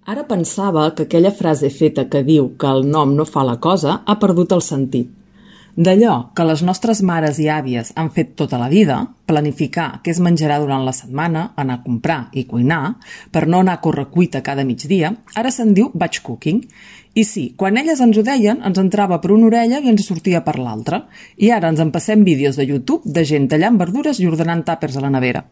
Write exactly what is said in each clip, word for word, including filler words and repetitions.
Ara pensava que aquella frase feta que diu que el nom no fa la cosa ha perdut el sentit. D'allò que les nostres mares i àvies han fet tota la vida, planificar què es menjarà durant la setmana, anar a comprar i cuinar, per no anar a correcuita cada migdia, ara se'n diu batch cooking. I sí, quan elles ens ho deien, ens entrava per una orella i ens sortia per l'altra. I ara ens en passem vídeos de YouTube de gent tallant verdures i ordenant tàpers a la nevera.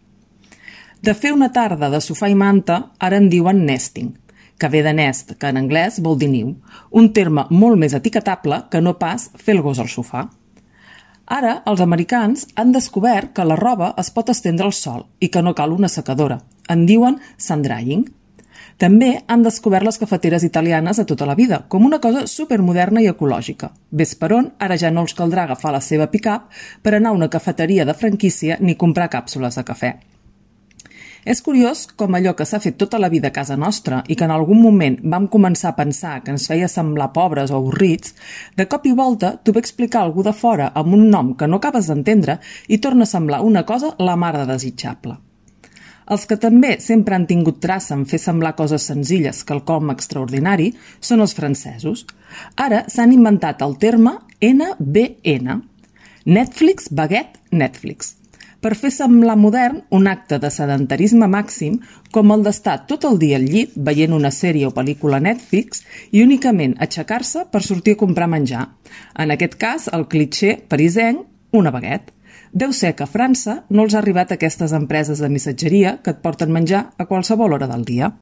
De fer una tarda de sofà i manta, ara en diuen nesting, que ve de nest, que en anglès vol dir niu, un terme molt més etiquetable que no pas fer el gos al sofà. Ara, els americans han descobert que la roba es pot estendre al sol i que no cal una secadora. En diuen sun drying. També han descobert les cafeteres italianes de tota la vida, com una cosa supermoderna i ecològica. Ves per on, ara ja no els caldrà agafar la seva pick-up per anar a una cafeteria de franquícia ni comprar càpsules de cafè. És curiós com allò que s'ha fet tota la vida a casa nostra i que en algun moment vam començar a pensar que ens feia semblar pobres o avorrits, de cop i volta t'ho ve explicar algú de fora amb un nom que no acabes d'entendre i torna a semblar una cosa la mar de desitjable. Els que també sempre han tingut traça en fer semblar coses senzilles quelcom extraordinari són els francesos. Ara s'han inventat el terme ene be ene, Netflix Baguette Netflix, per fer semblar modern un acte de sedentarisme màxim com el d'estar tot el dia al llit veient una sèrie o pel·lícula Netflix i únicament aixecar-se per sortir a comprar menjar. En aquest cas, el clitxé parisenc, una baguette. Deu ser que a França no els ha arribat aquestes empreses de missatgeria que et porten menjar a qualsevol hora del dia.